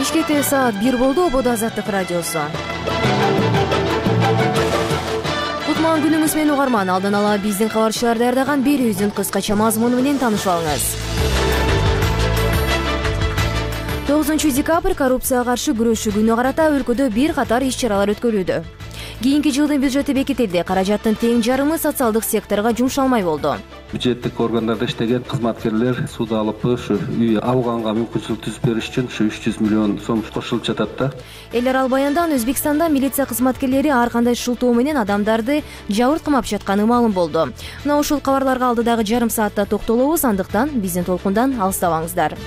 Бишкекте саат 1 болду. Ободо Азаттык радиосу. Кутман күнүңүз менен угарман. Алдын ала биздин кабарчылар даярдаган берүүбүздүн кыскача мазмуну менен таанышып алыңыз. 9 декабрь коррупцияга каршы күрөшүү күнүнө карата өлкөдө бир катар иш-чаралар өткөрүлүүдө. Кийинки жылдын бюджети бекитилди. Каражаттын тең жарымы социалдык секторго жумшалмай болду. Бюджеттик органдарда иштеген кызматкерлер суда алып ушу үй алганга мүмкүнчүлүк түзүп бериш үчүн 300 миллион сом кошулуп жатат да. Элер ал баяндан Өзбекстанда милиция кызматкерлери ар кандай шылтоо менен адамдарды жабырт кымап жатканы маалым болду. Мына ушул кабарларга алдыдагы жарым саатта токтолобуз, андыктан биздин толкундан алыстабаңыздар.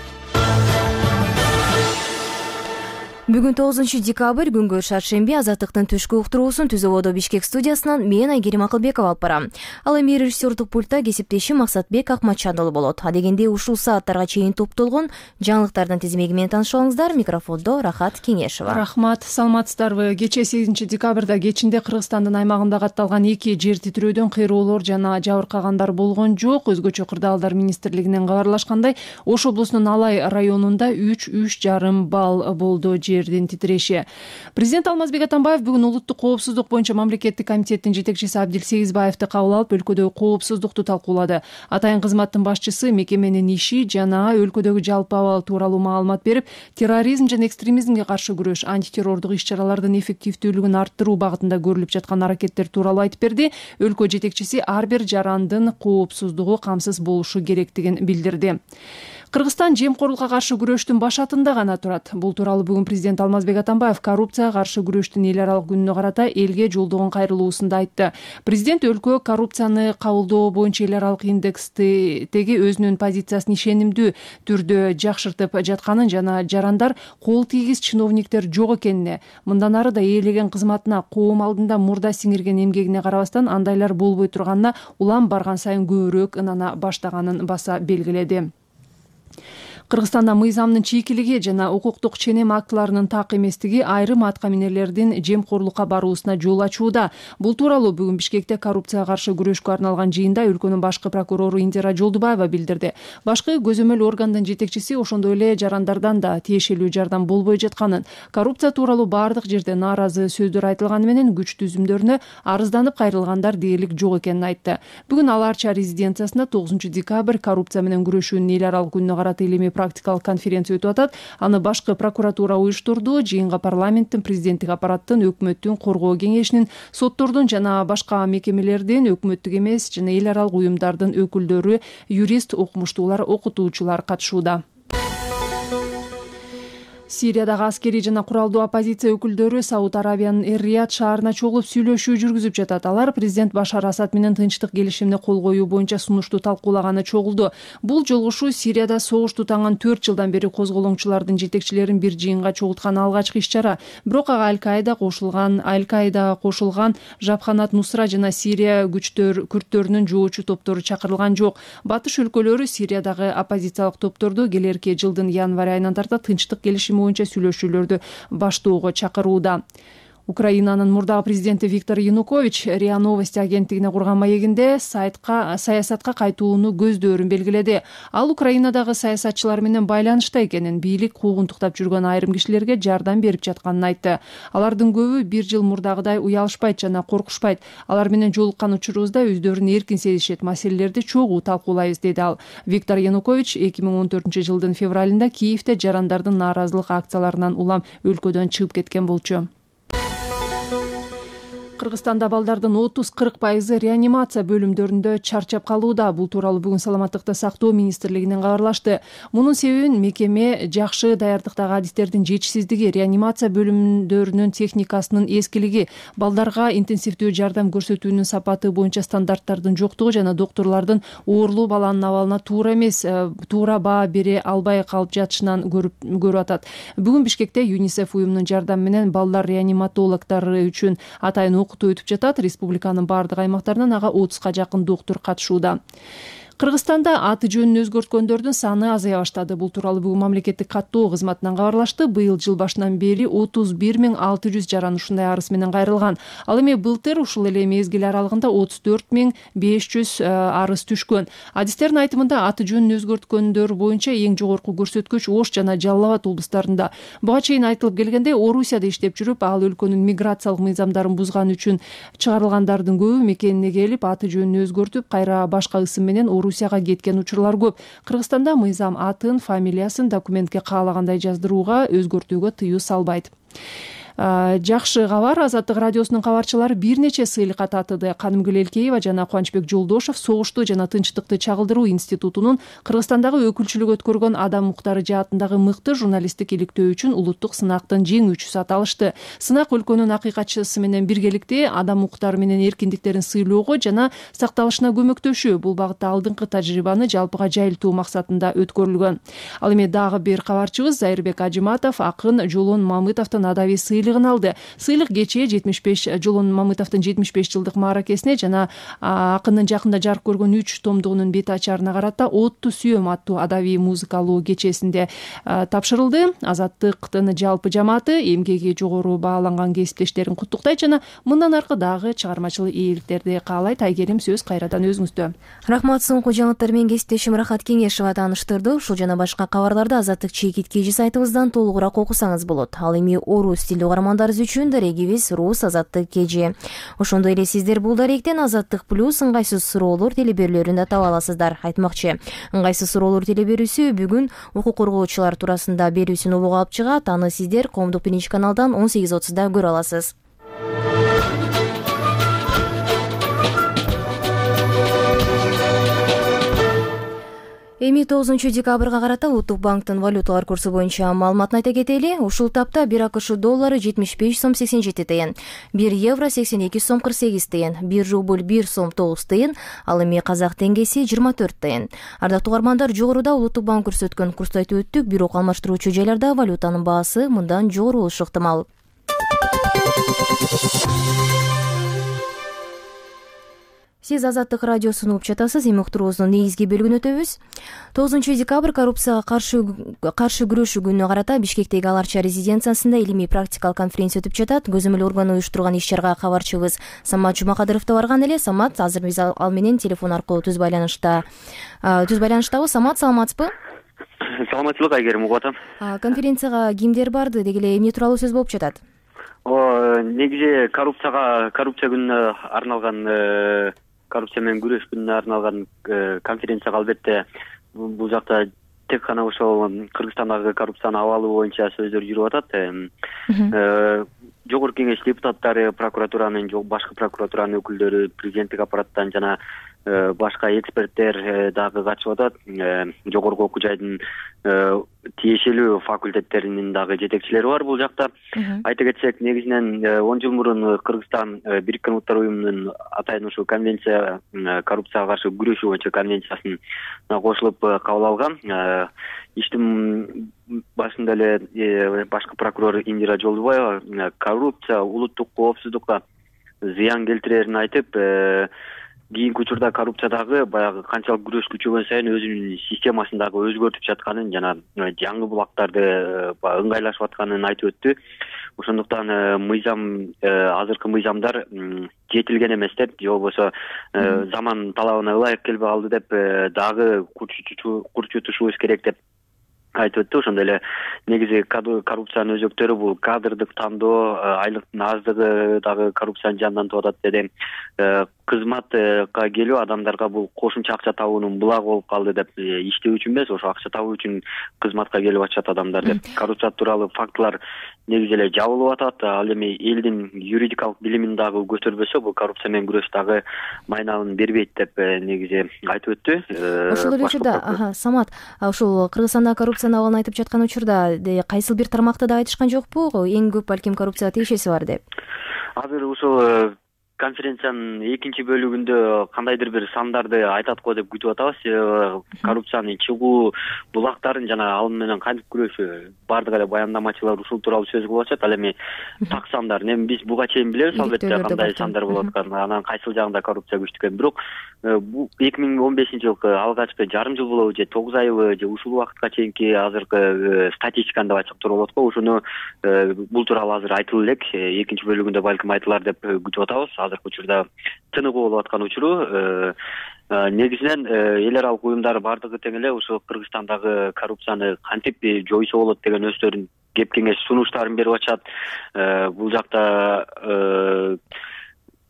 Бүгүн 9 декабрь күнгө шаршемби. Азаттыктын түшкү уктуруусун Түз Ободо Бишкек студиясынан мен Айгерим Акылбекова алып барам. Ал эми режиссердук пультта кесиптешим Максатбек Акматжанұлы болот. Адегенде ушул сааттарга чейин топтолгон жаңылыктардын тизмеги менен таанышып алыңыздар. Микрофондо Рахат Кеңешова. Рахмат, саламатсыздарбы? Кечээ 8 декабрда кечинде Кыргызстандын аймагында катталган 2 жер титирөөдөн кыйроолор жана жабыркагандар болгон жок. Өзгөчө кырдаалдар министрлигинен кабарлашкандай, Ош облусунун Алай районунда 3,5 балл болду жердин титиреши. Президент Алмазбек Атамбаев бүгүн улуттук коопсуздук боюнча мамлекеттик комитеттин жетекчиси Абдил Сегизбаевди кабыл алып, өлкөдөгү коопсуздукту талкуулады. Атайын кызматтын башчысы мекеменин иши жана өлкөдөгү жалпы абал тууралуу маалымат берип, терроризм жана экстремизмге каршы күрөш, антитеррордук иш-чаралардын эффективдүүлүгүн арттыруу багытында көрүлүп жаткан аракеттер тууралуу айтып берди. Өлкө жетекчиси ар бир жарандын коопсуздугу камсыз болушу керектигин билдирди. Кыргызстан жемкорлукка каршы күрөштүн башатында гана турат. Бул тууралуу бүгүн президент Алмазбек Атамбаев коррупцияга каршы күрөштүн эл аралык күнүнө карата элге жолдогон кайрылуусунда айтты. Президент өлкө коррупцияны кабылдоо боюнча эл аралык индекстеги өзүнүн позициясын ишенимдүү түрдө жакшыртып жатканын жана жарандар, кол тийгиз чиновниктер жок экенине, мындан ары да ээлеген кызматына, коом алдында мурда сиңирген эмгегине карабастан андайлар болбой турганына улам барган сайын көбүрөөк ынана баштаганын баса белгиледи. Кыргызстанда мыйзамдын чийкилиги жана укуктук ченем актыларынын так эместиги айрым атка минерлердин жемкорлукка баруусуна жол ачууда. Бул тууралуу бүгүн Бишкекте коррупцияга каршы күрөшкө арналган жыйында өлкөнүн башкы прокурору Индира Жолдубаева билдирди. Башкы көзөмөл органдын жетекчиси ошондой эле жарандардан да тиешелүү жардам болбой жатканын, коррупция тууралуу бардык жерде нааразы сөздөр айтылганы менен күч түзүмдөрүнө арызданып кайрылгандар дээрлик жок экенин айтты. Бүгүн ал Арча резиденциясында 9 декабрь коррупция менен күрөшүүнүн эл аралык күнүнө карата илимий практикалык конференция өтүп атат. Аны башкы прокуратура уюштурду. Жыйынга парламенттин, президенттик аппараттын, өкмөттүн, коргоо кеңешинин, соттордун жана башка мекемелердин, өкмөттүк эмес жана эл аралык уюмдардын өкүлдөрү, юрист, окумуштуулар, окутуучулар катышууда. Сириядагы аскерий жана куралдуу оппозиция өкүлдөрү Сауд Арабиянын Эр-Рияд шаарына чогулуп сүйлөшүү жүргүзүп жатат. Алар президент Башар Асад менен тынчтык келишимине кол коюу боюнча сунушту талкуулаганы чогулду. Бул жолугушуу Сирияда согуш тутанган 4 жылдан бери козголоңчулардын жетекчилерин бир жыйынга чогулткан алгачкы иш-чара. Бирок ага Аль-Каида кошулган Жабханат Нусра жана Сирия күрттөрүнүн жоочу топтору чакырылган жок. Батыш өлкөлөрү Сириядагы оппозициялык топторду келерки жылдын январь айынан тарта тынчтык келишими боюнча сүйлөшүүлөрдү баштоого чакырууда. Украинанын мурдагы президенти Виктор Янукович РИА Новости агенттигине курган маегинде саясатка кайтууну көздөрүн белгиледи. Ал Украинадагы саясатчылар менен байланышта экенин, бийлик куугунтуктап жүргөн айрым кишилерге жардам берип жатканын айтты. Алардын көбү бир жыл мурдагыдай уялышпайт жана коркушпайт. Алар менен жолуккан учурубузда өздөрүн эркин сезишет, маселелерди чогуу талкуулайбыз, деди ал. Виктор Янукович 2014 жылдын февралында Киевде жарандардын нааразылык акцияларынан улам өлкөдөн чыгып кеткен болчу. Кыргызстанда балдардын 30-40% реанимация бөлүмдөрүндө чарчап калууда. Бул тууралуу бүгүн Саламаттыкты сактоо министрлигинен кабарлашты. Мунун себебин мекеме жакшы даярдыктагы адистердин жетишсиздиги, реанимация бөлүмдөрүнүн техникасынын эскилиги, балдарга интенсивдүү жардам көрсөтүүнүн сапаты боюнча стандарттардын жоктугу жана доктурлардын оорлуу баланын абалына туура баа бере албай калып жатышынан көрүп атат. Бүгүн Бишкекте ЮНИСЕФ уюмунун жардамы менен балдар реаниматологдору үчүн атайын окутуу өтүп жатат. Республиканын бардык аймактарынан ага 30га жакын доктор катышууда. Кыргызстанда аты жөнүн өзгөрткөндөрдүн саны азая баштады. Бул тууралуу бүгүн мамлекеттик каттоо кызматынан кабарлашты. Быйыл жыл башынан бери 31.600 жаран ушундай арыз менен кайрылган. Ал эми былтыр ушул эле мезгил аралыгында 34.500 арыз түшкөн. Адистердин айтымында аты жөнүн өзгөрткөндөр боюнча эң жогорку көрсөткүч Ош жана Жалал Абад облустарында. Буга чейин айтылып келгендей, Орусияда иштеп жүрүп, ал өлкөнүн миграциялык мыйзамдарын бузган үчүн чыгарылгандардын көбү мекенине келип, аты жөнүн өзгөртүп, кайра башка ысым менен Орусияга кеткен учурлар көп. Кыргызстанда мыйзам атын, фамилиясын документке каалагандай жаздырууга, өзгөртүүгө тыюу салбайт. Жакшы кабар. Азаттык радиосунун кабарчылары бир нече сыйлыкка татыды. Канымгүл Элкеева жана Кубанычбек Жолдошов согушту жана тынчтыкты чагылдыруу институтунун Кыргызстандагы өкүлчүлүк өткөргөн адам укуктары жаатындагы мыкты журналисттик иликтөө үчүн улуттук сынактын жеңүүчүсү аталышты. Сынак өлкөнүн акыйкатчысы менен биргеликте адам укуктары менен эркиндиктерин сыйлоого жана сакталышына көмөктөшүү, бул багытта алдыңкы тажрыйбаны жалпыга жайылтуу максатында өткөрүлгөн. Ал эми дагы бир кабарчыбыз Зайырбек Ажиматов акын Жолон Мамытовдун адабий сыйлыгын алды. Сыйлык кечээ Жолон Мамытовдун 75 жылдык мааракесине жана акындын жакында жарык көргөн 3 томдугунун бет ачарына карата Отту сүйөм аттуу адабий музыкалуу кечесинде тапшырылды. Азаттыктын жалпы жамааты эмгеги жогору бааланган кесиптештерин куттуктайт жана мындан аркы дагы чыгармачылык ийгиликтерди каалайт. Айгерим, сөз кайрадан өзүңүздө. Рахмат, соңку жаңылыктар менен кесиптешим Рахат Кеңешова тааныштырды. Ушул жана башка кабарларды Азаттык чекит кежи сайтыбыздан толугураак окусаңыз болот. Ал эми орус тилдүү каармандарыбыз үчүн дарегибиз Рус Азаттык кежи. Ошондой эле сиздер бул даректен Азаттык плюс ыңгайсыз суроолор телеберүүлөрүн да таба аласыздар. Айтмакчы, ыңгайсыз суроолор телеберүүсү бүгүн укук коргоочулар туурасында берүүсүн обого алып чыгат. Аны сиздер Коомдук биринчи каналдан 18:30 көрө аласыз. Эми 9 декабрга карата Улуттук банктын валюталар курсу боюнча маалыматын айта кетели. Ушул тапта 1 АКШ доллары 75 сом 87 тыйын, 1 евро 82 сом 48 тыйын, 1 рубль 1 сом 9 тыйын, ал эми казак теңгеси 24 тыйын. Ардактуу угармандар, жогоруда Улуттук банк көрсөткөн курсту айтып өттүк. Бирок алмаштыруучу жайларда валютанын баасы мындан жогору болушу ыктымал. Сиз Азаттык радиосун угуп жатасыз. Эми уктуруубуздун негизги бөлүгүнө өтөбүз. 9 декабрь коррупцияга каршы күрөшүү күнүнө карата Бишкектеги Аларча резиденциясында илимий практикалык конференция өтүп жатат. Көзөмөл органы уюштурган иш-чарага кабарчыбыз Самат Жумакадыров да барган эле. Самат, азыр биз ал менен телефон аркылуу түз байланыштабыз. Самат, саламатсызбы? Саламатчылык, Айгерим, угуп атам. Конференцияга кимдер барды, деги эле эмне тууралуу сөз болуп жатат? Негизи коррупция күнүнө арналган, коррупция менен күрөш күнүнө арналган конференцияга албетте бул жакта тек гана ошол Кыргызстандагы коррупциянын абалы боюнча сөздөр жүрүп атат. Жогорку кеңеш депутаттары, башкы прокуратуранын өкүлдөрү, президенттик аппараттан жана башка эксперттер дагы катышып атат. Жогорку окуу жайдын тиешелүү факультеттеринин дагы жетекчилери бар бул жакта. Айта кетсек, негизинен 10 жыл мурун Кыргызстан Бириккен Улуттар уюмунун атайын ушул конвенция, коррупцияга каршы күрөшүү боюнча конвенциясына кошулуп кабыл алган. Иштин башында эле башкы прокурор Индира Жолдубаева коррупция улуттук коопсуздукка зыян келтирерин айтып, кийинки учурда коррупциядагы баягы канчалык күрөш күчөгөн сайын өзүнүн системасын дагы өзгөртүп жатканын жана жаңы булактарды ыңгайлашып атканын айтып өттү. Ошондуктан азыркы мыйзамдар жетилген эмес деп, же болбосо заман талабына ылайык келбей калды деп дагы курчутушубуз керек деп айтып өттү. Ошондой эле негизи коррупциянын өзөктөрү бул кадрдык тандоо, айлыктын аздыгы дагы коррупцияны жандантып атат деди. Кызматка келүү адамдарга бул кошумча акча табуунун булагы болуп калды деп, иштөө үчүн эмес, ошо акча табуу үчүн кызматка келип атышат адамдар деп. Коррупция тууралуу фактылар негизи эле жабылып атат. Ал эми элдин юридикалык билимин дагы көтөрбөсө, бул коррупция менен күрөш дагы майналын бербейт деп негизи айтып өттү. Ошол эле учурда, Самат, ушул Кыргызстанда коррупциянын абалын айтып жаткан учурда кайсыл бир тармакты да айтышкан жокпу? Эң көп балким коррупцияга тиешеси бар деп. Азыр ушул конференциянын экинчи бөлүгүндө кандайдыр бир сандарды айтат го деп күтүп атабыз. Себеби коррупциянын чыгуу булактарын жана ал менен кантип күрөшүү баардык эле баяндамачылар ушул тууралуу сөз кылып атышат. Ал эми так сандар эми биз буга чейин билебиз албетте кандай сандар болуп атканын, анан кайсыл жагында коррупция күчтүү экенин. Бирок бул 2015-жылкы алгачкы жарым жыл болобу же 9 айбы же ушул убакытка чейинки азыркы статистиканы деп айтсак туура болот го. Ошону бул тууралуу азыр айтылып элек. Экинчи бөлүгүндө балким айтылар деп күтүп атабыз. Азыркы учурда тыныгуу болуп аткан учуру. Негизинен эл аралык уюмдар баардыгы тең эле ушу Кыргызстандагы коррупцияны кантип жоюусу болот деген өздөрүнүн кеп кеңеш сунуштарын берип атышат. Бул жакта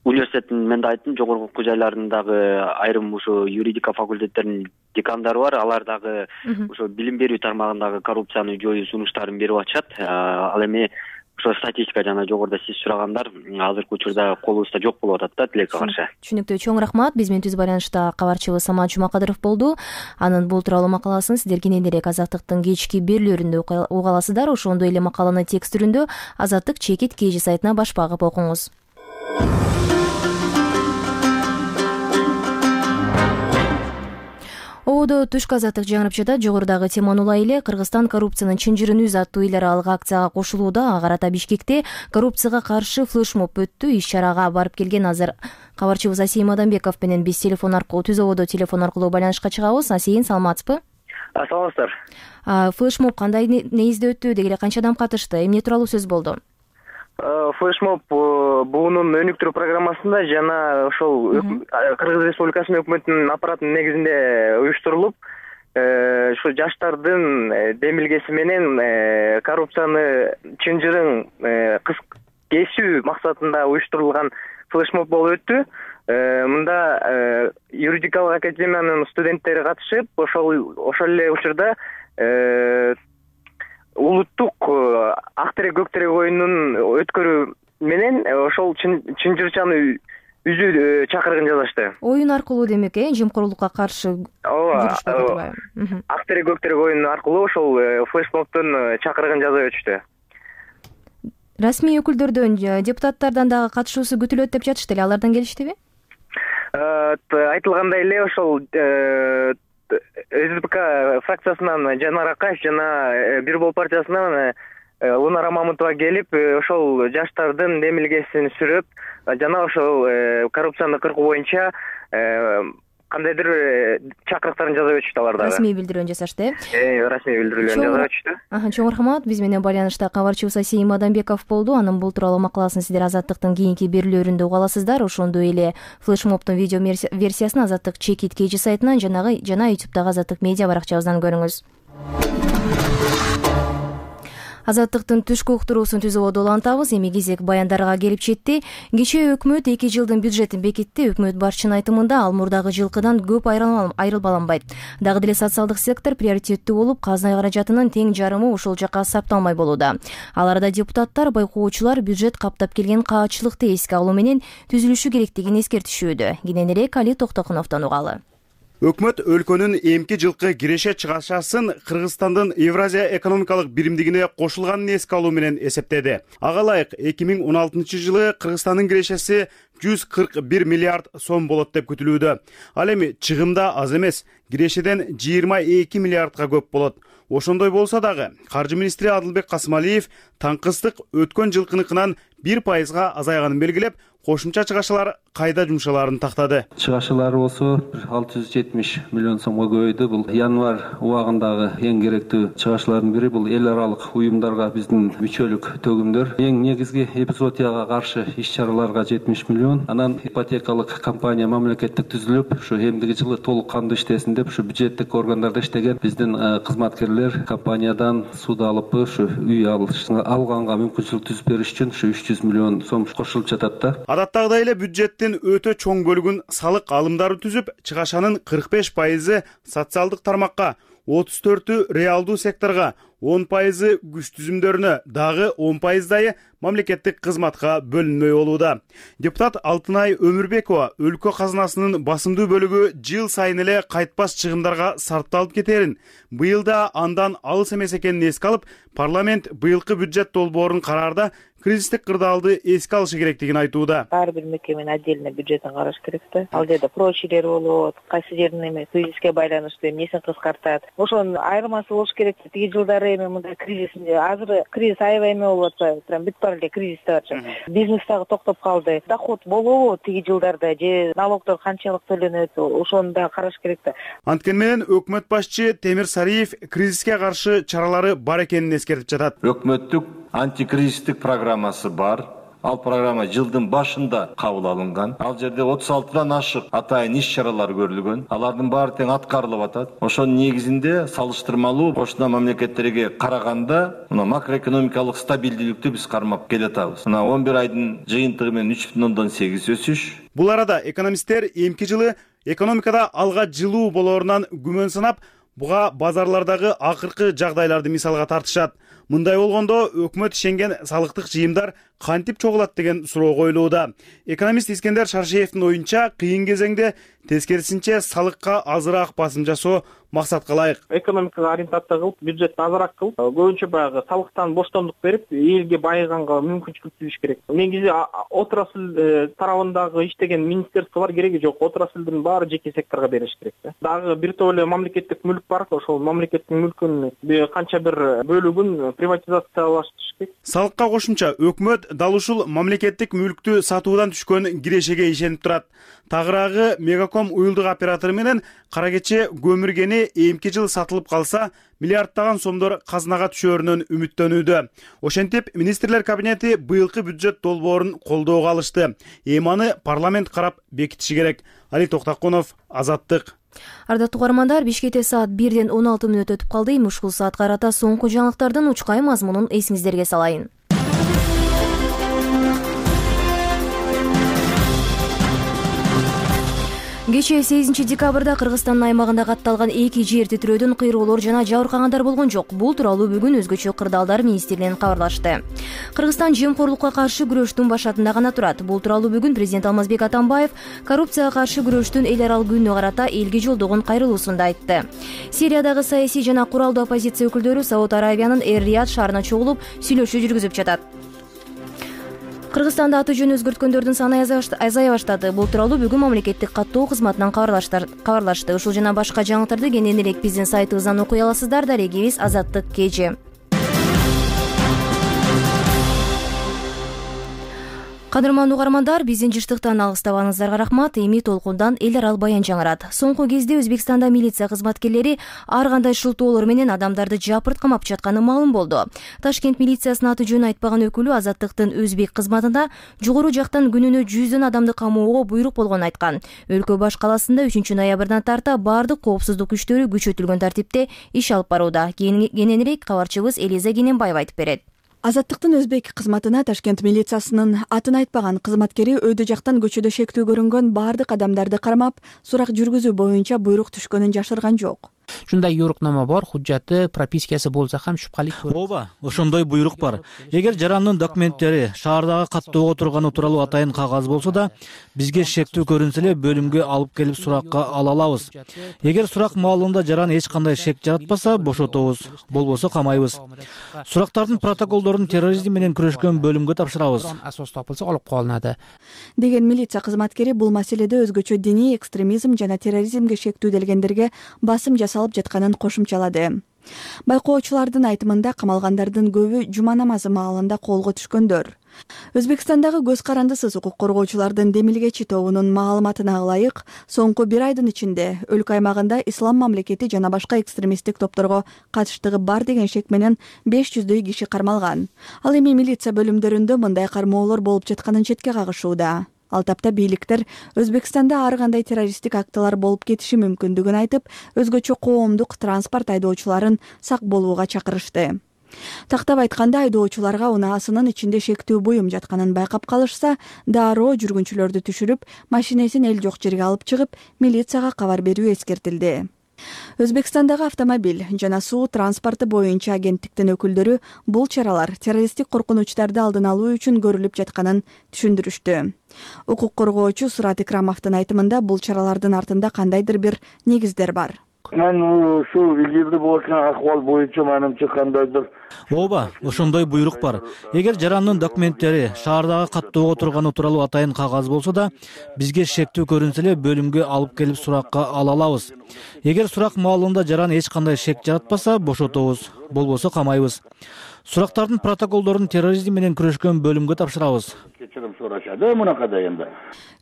университеттин мен да айттым, жогорку окуу жайларындагы айрым ушу юридика факультеттеринин декандары бар. Алар дагы ошо билим берүү тармагындагы коррупцияны жоюу сунуштарын берип атышат. Ал эми ошо статистика жана жогоруда сиз сурагандар азыркы учурда колубузда жок болуп атат да тилекке каршы. Түшүнүктүү. Чоң рахмат. Биз менен түз байланышта кабарчыбыз Самат Жумакадыров болду. Анын бул тууралуу макаласын сиздер кененирээк Азаттыктын кечки берүүлөрүндө уга аласыздар. Ошондой эле макаланы текст түрүндө Азаттык чекит KG сайтына баш багып окуңуз. Ободо түшкү азаттык жаңырып жатат. Жогорудагы теманы улай эле Кыргызстан коррупциянын чынжырын үз аттуу эл аралык акцияга кошулууда. Ага карата Бишкекте коррупцияга каршы флешмоб өттү. Иш-чарага барып келген азыр кабарчыбыз Асейин Мадамбеков менен биз телефон аркылуу түз ободо телефон аркылуу байланышка чыгабыз. Асейин, саламатсызбы? Саламатсыздар. Флешмоб кандай негизде өттү? Деги эле канча адам катышты? Эмне тууралуу сөз болду? Флешмоб буунун өнүктүрүү программасында жана ошол Кыргыз Республикасынын өкмөтүнүн аппаратынын негизинде уюштурулуп, ушу жаштардын демилгеси менен коррупцияны чынжырын кесүү максатында уюштурулган флешмоб болуп өттү. Мында юридикалык академиянын студенттери катышып, ошол эле учурда улуттук ак терек көк терек оюнун өткөрүү менен ошол чынжырчаны үзүү чакырыгын жазышты. Оюн аркылуу демек, жемкорлукка каршы жүрүшпөй турбайбы? Ак терек көк терек оюну аркылуу ошол флешмобдун чакырыгын жазып өтүштү. Расмий өкүлдөрдөн, депутаттардан дагы катышуусу күтүлөт деп жатышты эле. Алардан келиштиби? Айтылгандай эле ошол СДПК фракциясынан Жанар Акаев жана Бир Бол партиясынан Лунара Мамутова келип, ошол жаштардын демилгесин сүрөп, жана ошол коррупцияны кыркуу боюнча кандайдыр чакырыктарын жазып өтүштү алар дагы. Расмий билдирүүнү жасашты, расмий билдирүүлөрүн жазып өтүштү. Чоң рахмат. Биз менен байланышта кабарчыбыз Асейин Мадамбеков болду. Анын бул тууралуу макаласын сиздер Азаттыктын кийинки берүүлөрүндө уга аласыздар. Ошондой эле флешмобдун видео версиясын Азаттык чекит KG сайтынан жана YouTube'дагы Азаттык медиа баракчабыздан көрүңүз. Азаттыктын түшкү уктуруусун түз ободо улантабыз. Эми кезек баяндарга келип жетти. Кечээ өкмөт 2 жылдын бюджетин бекитти. Өкмөт башчынын айтымында ал мурдагы жылкыдан көп айрылбаланбайт. Дагы деле социалдык сектор приоритеттүү болуп, казна каражатынын тең жарымы ошол жака сапталмай болууда. Ал арада депутаттар, байкоочулар бюджет каптап келген каачылыкты эске алуу менен түзүлүшү керектигин эскертишүүдө. Кененирээк Али Токтокуновдон угалы. Өкмөт өлкөнүн эмки жылкы киреше чыгашасын Кыргызстандын Евразия экономикалык биримдигине кошулганын эске алуу менен эсептеди. Ага ылайык 2016-жылы Кыргызстандын кирешеси 141 миллиард сом болот деп күтүлүүдө. Ал эми чыгымда аз эмес, кирешеден 22 миллиардга көп болот. Ошондой болсо дагы каржы министри Адылбек Касымалиев таңкыстык өткөн жылкыныкынан 1%га азайганын белгилеп, кошумча чыгашалар кайда жумшаларын тактады. Чыгашалар болсо 670 миллион сомго көбөйдү. Бул январь убагындагы эң керектүү чыгашалардын бири. Бул эл аралык уюмдарга биздин мүчөлүк төгүмдөр. Эң негизги эпизодияга каршы иш-чараларга 70 миллион. Анан ипотекалык компания мамлекеттик түзүлүп, ушу эмдиги жылы толук кандуу иштесин деп ушу бюджеттик органдарда иштеген биздин кызматкерлер компаниядан суд алып, ушу үй алганга мүмкүнчүлүк түзүп бериш үчүн ушу 300 миллион сом кошулуп жатат да. Адаттагыдай эле бюджеттин өтө чоң бөлүгүн салык алымдары түзүп, чыгашанын 45% социалдык тармакка, 34 реалдуу секторго, 10% күч түзүмдөрүнө, дагы 10% мамлекеттик кызматка бөлүнмөй болууда. Депутат Алтынай Өмүрбекова өлкө казынасынын басымдуу бөлүгү жыл сайын эле кайтпас чыгымдарга сарпталып кетерин, быйыл да андан алыс эмес экенин эске алып, парламент быйылкы бюджет долбоорун караарда кризистик кырдаалды эске алышы керектигин айтууда. Ар бир мекеменин отдельно бюджетин караш керек да. Ал жерде прочлер болот, кайсы жердин эме кризиске байланыштуу эмнесин кыскартат. Ошонун айырмасы болуш керек. Тиги жылдары эми мындай кризисинде азыр кризис аябай эме болуп атпайбы? Прям бүт баары эле кризисте атчы. Бизнес дагы токтоп калды. Доход болобу тиги жылдарда же налогдор канчалык төлөнөт? Ошону да караш керек да. Анткени менен өкмөт башчы Темир Сариев кризиске каршы чаралары бар экенин эскертип жатат. Өкмөттүк антикризистик программасы бар. Ал программа жылдын башында кабыл алынган. Ал жерде 36 ашык атайын иш-чаралар көрүлгөн. Алардын баары тең аткарылып атат. Ошонун негизинде салыштырмалуу кошуна мамлекеттерге караганда макроэкономикалык стабилдүүлүктү биз кармап келатабыз. 11 айдын жыйынтыгы менен 3,8 өсүш. Бул арада экономисттер эмки жылы экономикада алга жылуу болоорунан күмөн санап, буга базарлардагы акыркы жагдайларды мисалга тартышат. Мындай болгондо өкмөт ишенген салыктык жыйымдар кантип чогулат деген суроо коюлууда. Экономист Искендер Шаршеевдин оюнча, кыйын кезеңде тескерисинче салыкка азыраак басым жасоо максатка ылайык. Экономикага ориентация кылып, бюджетти азыраак кылып, көбүнчө баягы салыктан боштондук берип, элге байыганга мүмкүнчүлүк түзүш керек. Негизи отрасль тарабындагы иштеген министерстволор кереги жок. Отраслдын баары жеке секторго бериш керек да. Дагы бир топ эле мамлекеттик мүлк бар. Ошол мамлекеттин мүлкүн канча бир бөлүгүн приватизациялаштырыш керек. Салыкка кошумча өкмөт дал ушул мамлекеттик мүлктү сатуудан түшкөн кирешеге ишенип турат. Тагыраагы Мегаком уюлдук оператору менен кара кече көмүргени эмки жыл сатылып калса, миллиарддаган сомдор казынага түшөөрүнөн үмүттөнүүдө. Ошентип, министрлер кабинети быйылкы бюджет долбоорун колдоого алышты. Эми аны парламент карап бекитиши керек. Али Токтакунов, Азаттык. Ардаттуу угармандар, Бишкекте саат 1-ден 16 мүнөт өтүп калды. Ушул саатка карата соңку жаңылыктардын учкай мазмунун эсиңиздерге салайын. Кечээ 8 декабрда Кыргызстандын аймагында катталган 2 жер титирөөдөн кыйроолор жана жабыркагандар болгон жок. Бул тууралуу бүгүн өзгөчө кырдаалдар министрлигинен кабарлашты. Кыргызстан жемкорлукка каршы күрөштүн башатында гана турат. Бул тууралуу бүгүн президент Алмазбек Атамбаев коррупцияга каршы күрөштүн эл аралык күнүнө карата элге жолдогон кайрылуусунда айтты. Сириядагы саясий жана куралдуу оппозиция өкүлдөрү Сауд Арабиянын Эр-Рияд шаарына чогулуп, сүйлөшүү жүргүзүп жатат. Кыргызстанда аты жөн өзгөрткөндөрдүн саны азая баштады. Бул тууралуу бүгүн мамлекеттик каттоо кызматынан кабарлашты. Ушул жана башка жаңылыктарды кененирээк биздин сайтыбыздан окуй аласыздар. Дарегибиз Азаттык KG. Кадырман угармандар, биздин жыштыктан алыстабаңыздарга рахмат. Эми толкундан эл аралык баян жаңырат. Соңку кезде Өзбекстанда милиция кызматкерлери ар кандай шылтоолор менен адамдарды жапырт камап жатканы маалым болду. Ташкент милициясынын аты жөнүн айтпаган өкүлү Азаттыктын өзбек кызматында жогору жактан күнүнө 100 адамды камоого буйрук болгонун айткан. Өлкө баш каласында 3 ноябрдан тарта бардык коопсуздук күчтөрү күчөтүлгөн тартипте иш алып барууда. Кененирээк кабарчыбыз Элиза Кененбаева айтып берет. Азаттыктын өзбек кызматына Ташкент милициясынын атын айтпаган кызматкери өйдө жактан көчөдө шектүү көрүнгөн бардык адамдарды кармап, сурак жүргүзүү боюнча буйрук түшкөнүн жашырган жок. Ушундай буйрукнома бар, хужжаты, пропискасы болсо ham шубхалык. Ооба, ошондой буйрук бар. Эгер жарандын документтери шаардагы каттоого турганы тууралуу атайын кагаз болсо да, бизге шектүү көрүнсө эле бөлүмгө алып келип суракка ала алабыз. Эгер сурак маалында жаран эч кандай шек жаратпаса, бошотобуз, болбосо камайбыз. Сурактардын протоколдорун терроризм менен күрөшкөн бөлүмгө тапшырабыз. Асос топулса алып калынады. Деген милиция кызматкери бул маселеде өзгөчө диний экстремизм жана терроризмге шектүү делгендерге басым жасалып жатканын кошумчалады. Байкоочулардын айтымында камалгандардын көбү жума намазы маалында колго түшкөндөр. Өзбекстандагы көз карандысыз укук коргоочулардын демилгечи тобунун маалыматына ылайык, соңку 1 айдын ичинде өлкө аймагында ислам мамлекети жана башка экстремисттик топторго катыштыгы бар деген шек менен 500дөй киши кармалган. Ал эми милиция бөлүмдөрүндө мындай кармоолор болуп жатканын четке кагышууда. Ал тапта бийликтер Өзбекстанда ар кандай террористтик актылар болуп кетиши мүмкүндүгүн айтып, өзгөчө коомдук транспорт айдоочуларын сак болууга чакырышты. Тактап айтканда, айдоочуларга унаасынын ичинде шектүү буюм жатканын байкап калышса, дароо жүргүнчүлөрдү түшүрүп, машинесин эл жок жерге алып чыгып, милицияга кабар берүү эскертилди. Өзбекстандагы автомобиль жана суу транспорту боюнча агенттиктин өкүлдөрү бул чаралар террористтик коркунучтарды алдын алуу үчүн көрүлүп жатканын түшүндүрүштү. Укук коргоочу Сурат Икрамовдун айтымында бул чаралардын артында кандайдыр бир негиздер бар. мен ушул илгирди болуп жаткан акыбал боюнча менимче кандайдыр ооба, ошондой буйрук бар. Эгер жарандын документтери шаардагы каттоого турганы тууралуу атайын кагаз болсо да, бизге шектүү көрүнсө эле бөлүмгө алып келип суракка ала алабыз. Эгер сурак маалында жаран эч кандай шек жаратпаса, бошотобуз, болбосо камайбыз. Сурактардын протоколдорун терроризм менен күрөшкөн бөлүмгө тапшырабыз. кечирим сурашат мунакада эми.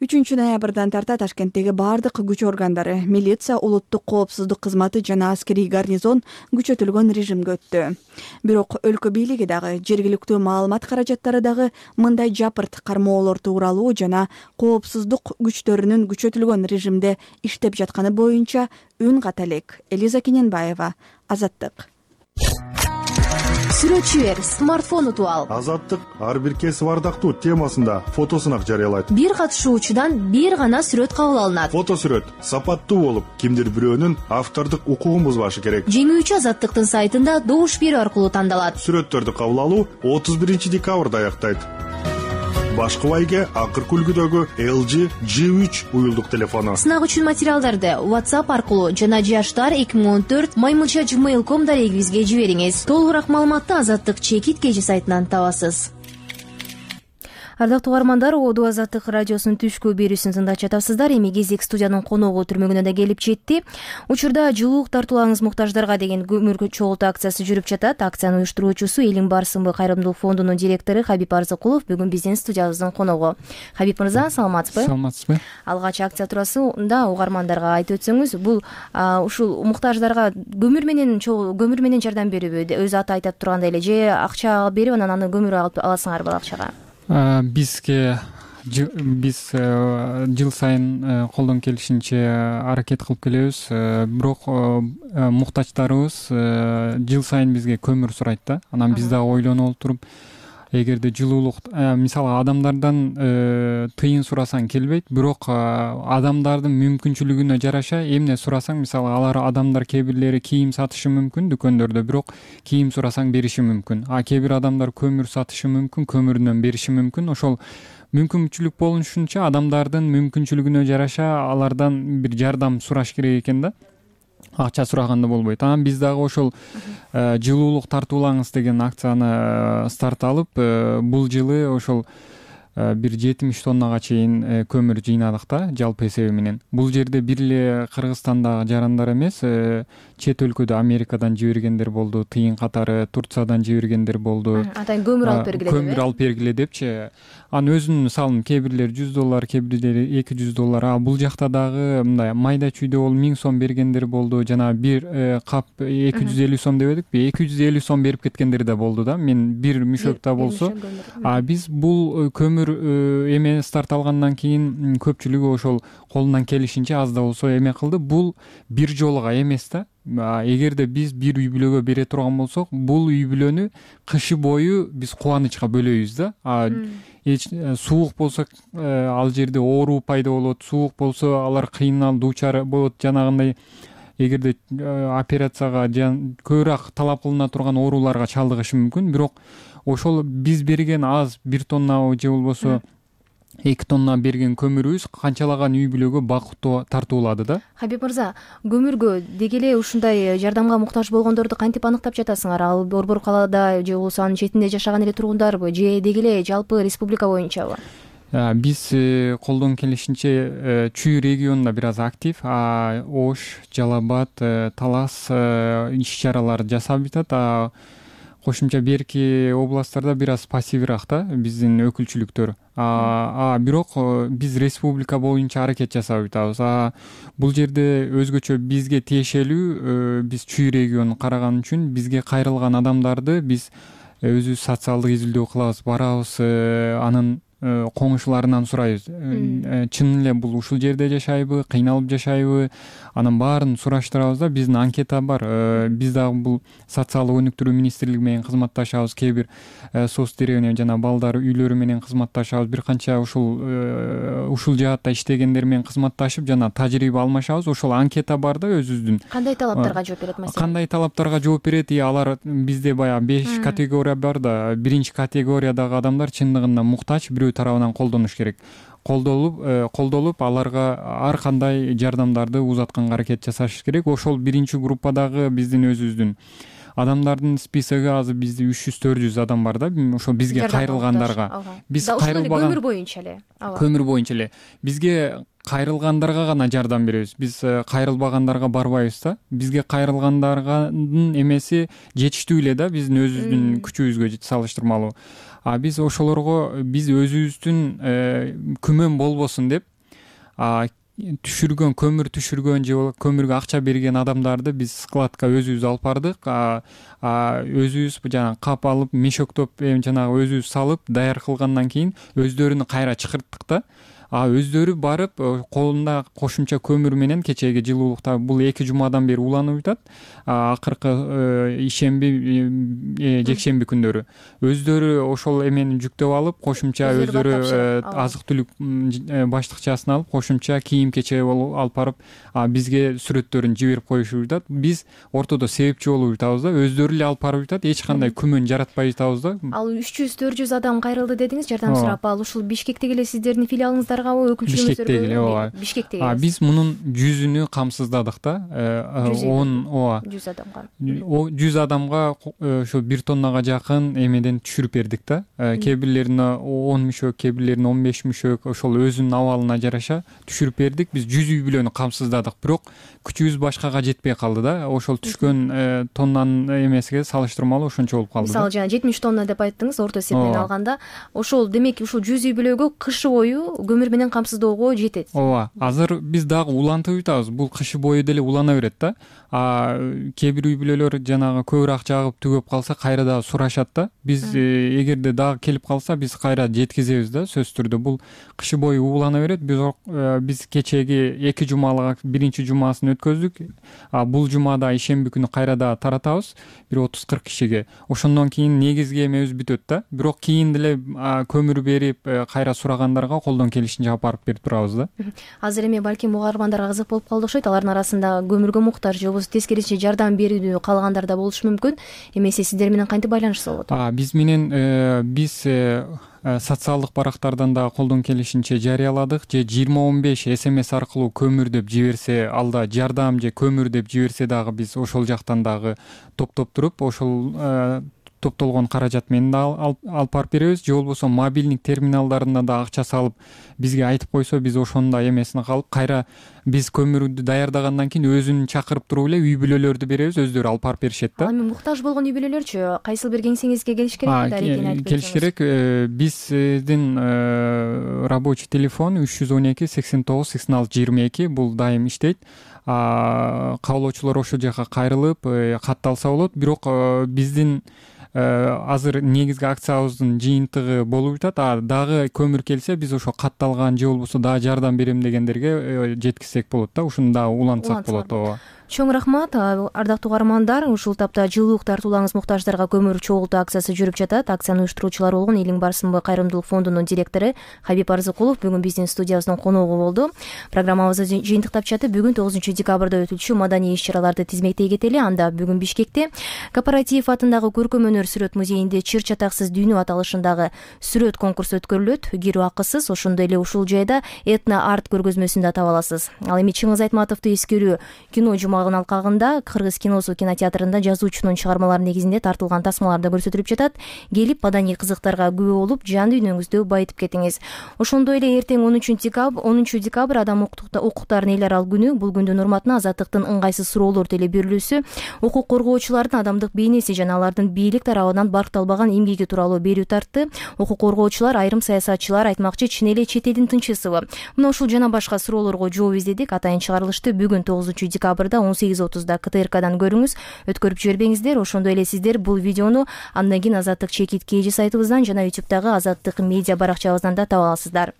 3 ноябрдан тарта Ташкенттеги бардык күч органдары, милиция, улуттук коопсуздук кызматы жана аскерий гарнизон күчөтүлгөн режимге өттү. Бирок өлкө бийлиги дагы, жергиликтүү маалымат каражаттары дагы мындай жапырт кармоолорду уралуу жана коопсуздук күчтөрүнүн күчөтүлгөн режимде иштеп жатканы боюнча үн ката элек. Элиза Кененбаева, Азаттык. Сүрөтчү бер, смартфон утуп ал. Азаттык ар бир кесип ардактуу темасында фотосунак жарыялайт. Бир катышуучудан бир гана сүрөт кабыл алынат. Фотосүрөт сапаттуу болуп, кимдир бирөөнүн автордук укугун бузбашы керек. Жеңүүчү Азаттыктын сайтында добуш берүү аркылуу тандалат. Сүрөттөрдү кабыл алуу 31-декабрда аяктайт. Башкы байге акыркы үлгүдөгү LG G3 уюлдук телефону. Сынак үчүн материалдарды WhatsApp аркылуу жана jashtar2014@gmail.com дарегибизге жибериңиз. Толугураак маалыматты Азаттык чекит кежи сайтынан табасыз. Ардактуу угармандар, Оду Азаттык радиосунун түшкү берүүсүн тыңдап жатасыздар. Эми кезек студиянын коногу түрмөгүнө да келип жетти. Учурда жылуулук тартуулаңыз муктаждарга деген көмүр чогултуу акциясы жүрүп жатат. Акциянын уюштуруучусу Элиң бар сынбы кайрымдуулук фондунун директору Хабиб Арзыкулов бүгүн биздин студиябыздын коногу. Хабиб мырза, саламатсызбы? Саламатсызбы. Алгач акция туурасында угармандарга айтып өтсөңүз, бул ушул муктаждарга көмүр менен жардам берүүбү? Өз аты айтып тургандай эле, же акча берип анан аны көмүр алып аласыңарбы акчага? Биз жыл сайын колдон келишинче аракет кылып келебиз. Бирок муктачтарыбыз жыл сайын бизге көмүр сурайт да. Анан биз дагы ойлонуп отуруп, эгерде жылуулук мисалы адамдардан тыйын сурасаң келбейт, бирок адамдардын мүмкүнчүлүгүнө жараша эмне сурасаң, мисалы адамдар кээ бирлери кийим сатышы мүмкүн дүкөндөрдө, бирок кийим сурасаң бериши мүмкүн. Кээ бир адамдар көмүр сатышы мүмкүн, көмүрүнөн бериши мүмкүн. Ошол мүмкүнчүлүк болушунча адамдардын мүмкүнчүлүгүнө жараша алардан бир жардам сураш керек экен да. Акча сураганда болбойт. Анан биз дагы ошол жылуулук тартуулаңыз деген акцияны старт алып, бул жылы ошол бир 70 тоннага чейин көмүр жыйнадык да, жалпы эсеби менен. Бул жерде бир эле Кыргызстандагы жарандар эмес, чет өлкөдө Америкадан жибергендер болду, тыйын катары Турциядан жибергендер болду. Атайын көмүр алып бергиле деп. Көмүр алып бергиле депчи. Анын өзүнүн мисалы кээ бирлер $100, кээ бирлери $200. Бул жакта дагы мындай майда чүйдө болуп 1000 сом бергендер болду. Жана бир кап 250 сом дебедикпи? 250 сом берип кеткендер да болду да. Мен бир мүшөктө болсо, биз бул көмүр эме старт алгандан кийин көпчүлүгү ошол колунан келишинче аз да болсо эме кылды. Бул бир жолуга эмес да. Эгерде биз бир үй бүлөгө бере турган болсок, бул үй бүлөнү кышы бою биз кубанычка бөлөйбүз да. Суук болсо ал жерде оору пайда болот, суук болсо алар кыйналып дуучар болот. Жанагындай эгерде операцияга көбүрөөк талап кылына турган ооруларга чалдыгышы мүмкүн. Бирок ошол биз берген аз 1 тонна же болбосо 2 тонна берген көмүрүбүз канчалаган үй бүлөгө бакыттуу тартуулады да. Хабиб мырза, көмүргө деги эле ушундай жардамга муктаж болгондорду кантип аныктап жатасыңар? Ал Борбор калаада же болбосо анын четинде жашаган эле тургундарбы, же деги эле жалпы республика боюнчабы? Биз колдон келишинче Чүй регионунда бир аз актив, Ош, Жалал абад, Талас иш-чаралар жасап жатат. Кошумча берки областтарда бир аз пассивирак да биздин өкүлчүлүктөр. Бирок биз республика боюнча аракет жасап жатабыз. Бул жерде өзгөчө бизге тиешелүү, биз Чүй регионун караган үчүн бизге кайрылган адамдарды биз өзүбүз социалдык изилдөө кылабыз, барабыз, анын коңшуларынан сурайбыз. Чын эле бул ушул жерде жашайбы, кыйналып жашайбы? Анын баарын сураштырабыз да. Биздин анкета бар. Биз дагы бул социалдык өнүктүрүү министрлиги менен кызматташабыз. Кээ бир соц деревня жана балдар үйлөрү менен кызматташабыз. Бир канча ушул жаатта иштегендер менен кызматташып жана тажрыйба алмашабыз. Ошол анкета бар да өзүбүздүн. Кандай талаптарга жооп берет маселе? Кандай талаптарга жооп берет? Алар бизде баягы 5 категория бар да. Биринчи категориядагы адамдар чындыгында муктач, бирөө тарабынан колдонуш керек. колдолуп аларга ар кандай жардамдарды узатканга аракет жасаш керек. Ошол биринчи группадагы биздин өзүбүздүн адамдардын списоги азыр бизде 300-400 адам бар да. Ошол бизге кайрылгандарга биз кайрылбаган көмүр боюнча эле бизге кайрылгандарга гана жардам беребиз. Биз кайрылбагандарга барбайбыз да. Бизге кайрылгандарганын эмеси жетиштүү эле да биздин өзүбүздүн күчүбүзгө салыштырмалуу. Биз ошолорго биз өзүбүздүн күмөн болбосун деп көмүр түшүргөн же көмүргө акча берген адамдарды биз складка өзүбүз алып бардык. Өзүбүз жанагы кап алып мешоктоп жанагы өзүбүз салып даяр кылгандан кийин өздөрүнү кайра чакырттык да. Өздөрү барып колунда кошумча көмүр менен кечеги жылуулукта бул 2 жумадан бери уланып жатат. Акыркы ишемби жекшемби күндөрү өздөрү ошол эмени жүктөп алып кошумча өздөрү азык түлүк баштыкчасын алып кошумча кийим кече алып барып бизге сүрөттөрүн жиберип коюшуп жатат. Биз ортодо себепчи болуп жатабыз да. Өздөрү эле алып барып жатат. Эч кандай күмөн жаратпай жатабыз да. Ал 300-400 адам кайрылды дедиңиз, жардам сурап. Ал ушул Бишкектеги эле сиздердин филиалыңыздар Бишкектеги биз мунун 100-үнү камсыздадык да. 100 адамга ошо 1 тоннага жакын эмеден түшүрүп бердик да. Кээ бирлерине 10 мүшөк, кээ бирлерине 15 мүшөк ошол өзүнүн абалына жараша түшүрүп бердик. Биз 100 үй бүлөнү камсыздадык. Бирок күчүбүз башкага жетпей калды да. Ошол түшкөн тоннанын эмесиге салыштырмалуу ошончо болуп калды. Мисалы жана 70 тонна деп айттыңыз орто эсеппен алганда. Ошол демек ушул 100 үй бүлөгө кышы бою көмүр менен камсыздоого жетет. Ооба. Азыр биз дагы улантып жатабыз. Бул кышы бою деле улана берет да. Кээ бир үй бүлөлөр жанагы көбүрөөк жагып түгөп калса кайра дагы сурашат да. Биз эгерде дагы келип калса биз кайра жеткизебиз да, сөзсүз түрдө. Бул кышы бою улана берет. Биз кечеги 2 жумалык биринчи жумасын өткөздүк. Бул жумада ишемби күнү кайра дагы таратабыз. Бир 30-40 кишиге. Ошондон кийин негизги эмебиз бүтөт да. Бирок кийин деле көмүр берип кайра сурагандарга колдон келишинче алып барып берип турабыз да. Азыр эми балким угармандарга кызык болуп калды окшойт. Алардын арасында көмүргө муктаж же болбосо тескерисинче жардам берүүнү каалагандар да болушу мүмкүн. Эмесе сиздер менен кантип байланышса болот? Биз менен биз социалдык барактардан да колдон келишинче жарыяладык. Же 2015 СМС аркылуу көмүр деп жиберсе, алда жардам же көмүр деп жиберсе дагы биз ошол жактан дагы топтоп туруп ошол топтолгон каражат менен да алып барып беребиз. Же болбосо мобилдик терминалдарына да акча салып бизге айтып койсо биз ошонун да эмесин калып кайра биз көмүрдү даярдагандан кийин өзүн чакырып туруп эле үй бүлөлөрдү беребиз, өздөрү алып барып беришет да. Эми муктаж болгон үй бүлөлөрчү кайсыл бир кеңсеңизге келиш керек? Келиш керек. Биздин рабочий телефон 312 89 86 22 бул дайым иштейт. Кабылоочулар ошол жака кайрылып катталса болот. Бирок биздин азыр негизги акциябыздын жыйынтыгы болуп жатат. Дагы көмүр келсе биз ошо катталган же болбосо дагы жардам берем дегендерге жеткизсек болот да. Ушуну дагы улантсак болот. Ооба. Чоң рахмат, ардактуу угармандар. Ушул тапта жылуулук тартуулаңыз муктаждарга көмүр чогултуу акциясы жүрүп жатат. Акциянын уюштуруучулары болгон Элиң Барсынбы кайрымдуулук фондунун директору Хабиб Арзыкулов бүгүн биздин студиябыздын коногу болду. Программабызды жыйынтыктап жатып, бүгүн 9 декабрда өтүлчү маданий иш-чараларды тизмектей кетели. Анда бүгүн Бишкекте Кооператив атындагы көркөм өнөр сүрөт музейинде Чыр чатаксыз дүйнө аталышындагы сүрөт конкурсу өткөрүлөт. Кирүү акысыз. Ошондой эле ушул жайда этно арт көргөзмөсүн да таба аласыз. Ал эми Чыңгыз Айтматовду эскерүү кино алкагында Кыргыз киносу кинотеатрында жазуучунун чыгармалары негизинде тартылган тасмалар да көрсөтүлүп жатат. Келип маданий кызыктарга күбө болуп, жан дүйнөңүздү байытып кетиңиз. Ошондой эле эртең 10 декабрь адам укуктарынын эл аралык күнү. Бул күндүн урматына Азаттыктын ыңгайсыз суроолор телеберүүсү, укук коргоочулардын адамдык бейнеси жана алардын бийлик тарабынан баркталбаган эмгеги тууралуу берүү тартты. Укук коргоочулар, айрым саясатчылар айтмакчы чын эле чет элдин тынчысыбы? Мына ушул жана башка суроолорго жооп издедик. Атайын чыгарылышты бүгүн 9 декабрда 18:30 КТРКдан көрүңүз, өткөрүп жибербеңиздер. Ошондой эле сиздер бул видеону андан кийин Азаттык чекит KG сайтыбыздан жана YouTube'дагы Азаттык медиа баракчабыздан да таба аласыздар.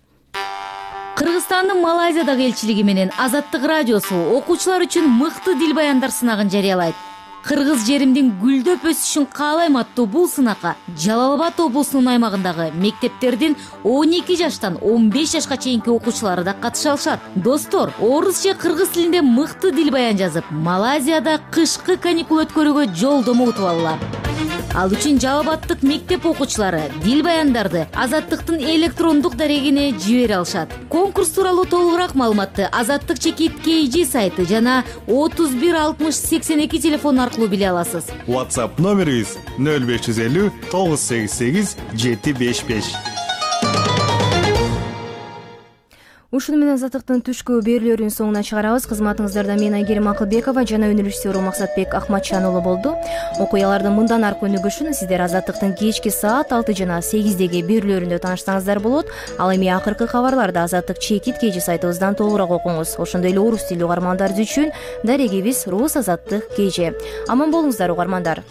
Кыргызстандын Малайзиядагы элчилиги менен Азаттык радиосу окуучулар үчүн мыкты дил баяндар сынагын жарыялайт. Кыргыз жеримдин гүлдөп өсүшүн каалайм аттуу бул сынакка Жалал Абад облусунун аймагындагы мектептердин 12 жаштан 15 жашка чейинки окуучулары да катыша алышат. Достор, орус же кыргыз тилинде мыкты дил баян жазып, Малайзияда кышкы каникул өткөрүүгө жолдомо утуп алгыла. Ал үчүн Жалал Абадтык мектеп окуучулары дил баяндарды Азаттыктын электрондук дарегине жибере алышат. Конкурс тууралуу толугураак маалыматты Азаттык чекит KG сайты жана 31 60 82 телефон аркылуу биле аласыз. WhatsApp номерибиз 0550 988 755. Ушуну менен Азаттыктын түшкү берүүлөрүнүн соңуна чыгарабыз. Кызматыңыздарда мен Айгерим Акылбекова жана өнөр режиссеру Максатбек Акматчан уулу болду. Окуялардын мындан аркы өнүгүшүн сиздер Азаттыктын кечки саат 6 жана 8деги берүүлөрүндө тааныштаңыздар болот. Ал эми акыркы кабарларды Азаттык чекит KG сайтыбыздан толугураак окуңуз. Ошондой эле орус тилдүү угармандар үчүн дарегибиз Рус Азаттык KG. Аман болуңуздар угармандар.